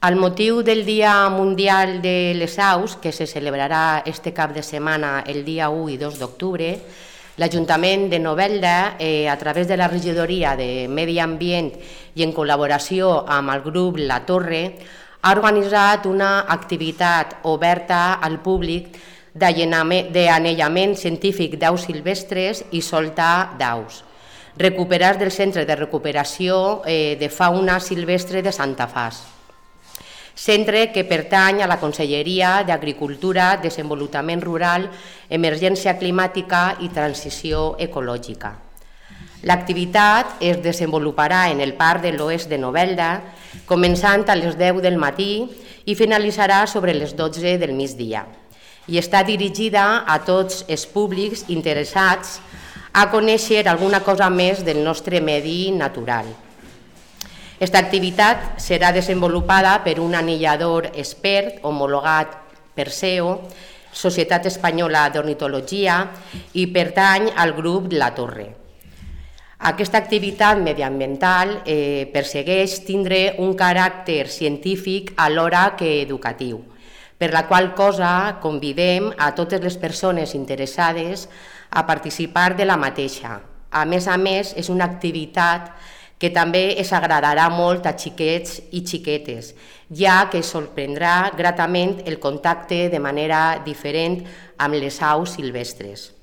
Al motiu del Dia Mundial de les Aus, que se celebrarà este cap de setmana el dia 1 i 2 d'octubre, l'Ajuntament de Novelda, a través de la Regidoria de Medi Ambient i en col·laboració amb el grup La Torre, ha organitzat una activitat oberta al públic d'anellament científic d'aus silvestres i soltar d'aus, recuperats del Centre de Recuperació de Fauna Silvestre de Santa Faç, centre que pertany a la Conselleria d'Agricultura, Desenvolupament Rural, Emergència Climàtica i Transició Ecològica. L'activitat es desenvoluparà en el Parc de l'Oest de Novelda, començant a les 10 del matí i finalitzarà sobre les 12 del migdia, i està dirigida a tots els públics interessats a conèixer alguna cosa més del nostre medi natural. Aquesta activitat serà desenvolupada per un anellador expert homologat per SEO, Societat Espanyola d'Ornitologia, i pertany al grup La Torre. Aquesta activitat mediambiental persegueix tindre un caràcter científic alhora que educatiu, per la qual cosa convidem a totes les persones interessades a participar de la mateixa. A més, és una activitat que també es agradarà molt a xiquets i xiquetes, ja que sorprendrà gratament el contacte de manera diferent amb les aus silvestres.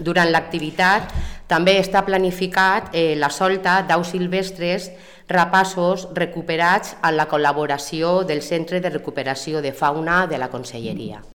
Durant l'activitat també està planificat la solta d'aus silvestres rapaços recuperats amb la col·laboració del Centre de Recuperació de Fauna de la Conselleria.